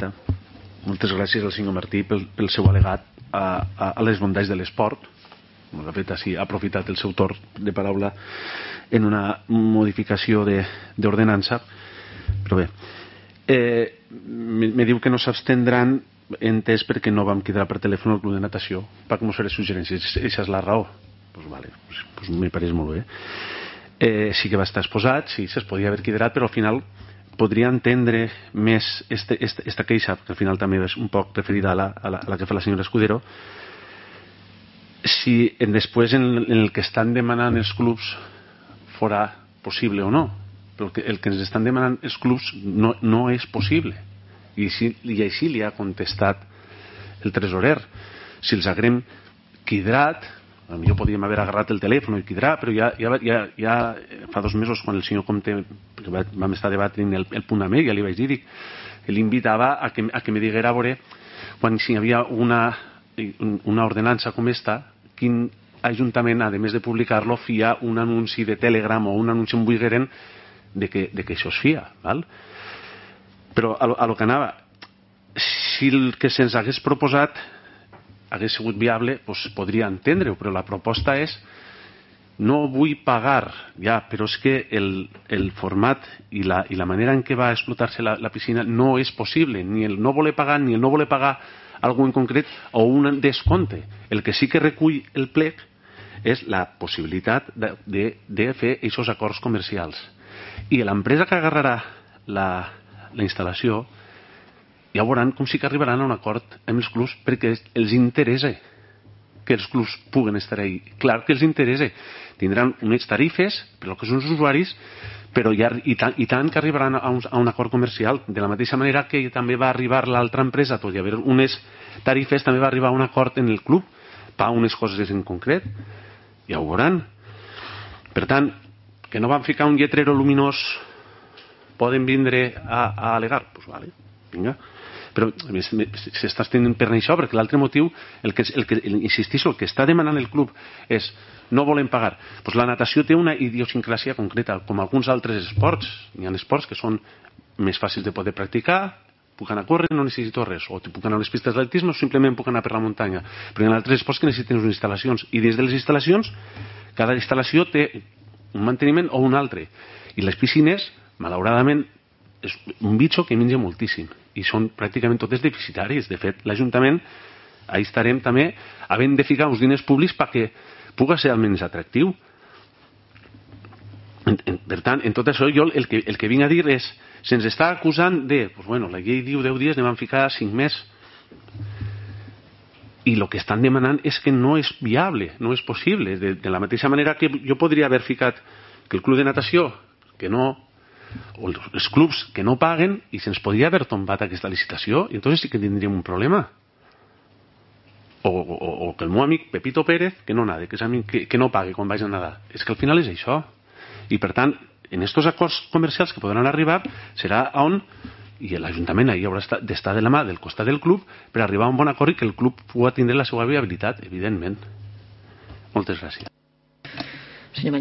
presidenta. Moltes gràcies al senyor Martí pel seu al·legat a les bondats de l'esport. De fet, ha aprofitat el seu torn de paraula en una modificació d'ordenança. Però bé, me diu que no s'abstendran, entès perquè no vam quedar per telèfon al club de natació per com fer les suggerències. Aquesta és la raó. Doncs vale, me pareix molt bé. Sí que va estar exposat, sí, es podia haver quedat, però al final podria entendre més esta queixa, que al final també és un poc referida a la que fa la senyora Escudero, si després en el que estan demanant els clubs fora possible o no. Però el que ens estan demanant els clubs no és possible, i així li ha contestat el tresorer. Si els haguem quidrat, potser podríem haver agarrat el telèfon i quidrar, però ja fa 2 mesos, quan el senyor Comte, vam estar debatent el punt amb ell, ja li vaig dir que l'invitava a que me diguera a veure, quan si hi havia una ordenança com esta, quin ajuntament, a més de publicar-lo, fia un anunci de Telegram o un anunci en Buigueren de que això es fia, val? Però a lo que anava, si el que se'ns hagués proposat hagués sigut viable, doncs podria entendre-ho, però la proposta és: no vull pagar, ja, però és que el format i la manera en què va explotar-se la piscina no és possible, ni el no voler pagar, ni el no voler pagar algú en concret o un descompte. El que sí que recull el plec és la possibilitat de fer aquests acords comercials. I l'empresa que agarrarà la instal·lació ja veuran com sí que arribaran a un acord amb els clubs, perquè els interessa que els clubs puguen estar ahí. Clar que els interessa. Tindran unes tarifes per al que són els usuaris, però i tant que arribaran a un acord comercial. De la mateixa manera que també va arribar l'altra empresa, tot i haver unes tarifes, també va arribar a un acord en el club per unes coses en concret. Ja ho veuran. Per tant, que no van ficar un lletrero luminós, poden vindre a al·legar? Doncs vale, vinga. Però s'està estenent per això, perquè l'altre motiu, insistixo, el que està demanant el club és: no volem pagar. Doncs la natació té una idiosincràsia concreta, com alguns altres esports. Hi ha esports que són més fàcils de poder practicar, puc anar a córrer, no necessito res, o puc anar a les pistes d'atletisme o simplement puc anar per la muntanya. Però hi ha altres esports que necessiten unes instal·lacions, i dins de les instal·lacions, cada instal·lació té un manteniment o un altre. I les piscines, malauradament, és un bitxo que menja moltíssim i són pràcticament totes deficitàries. De fet, l'Ajuntament, ahí estarem també havent de ficar uns diners públics perquè pugui ser almenys atractiu. Per tant, en tot això, jo el que vinc a dir és: se'ns està acusant de, doncs bueno, la llei diu 10 dies, anem a ficar 5 més. I el que estan demanant és que no és viable, no és possible. De la mateixa manera que jo podria haver ficat que el club de natació, que no, o els clubs que no paguen, i se'ns podria haver tombat aquesta licitació, i entonces sí que tindríem un problema. O que el meu amic Pepito Pérez, que no nade, que no pague quan vagi a nadar. És que al final és això. I per tant, en estos acords comercials que podran arribar, serà on, i l'Ajuntament ahí haurà d'estar de la mà del costat del club per arribar a un bon acord i que el club pugui tindre la seva viabilitat, evidentment. Moltes gràcies.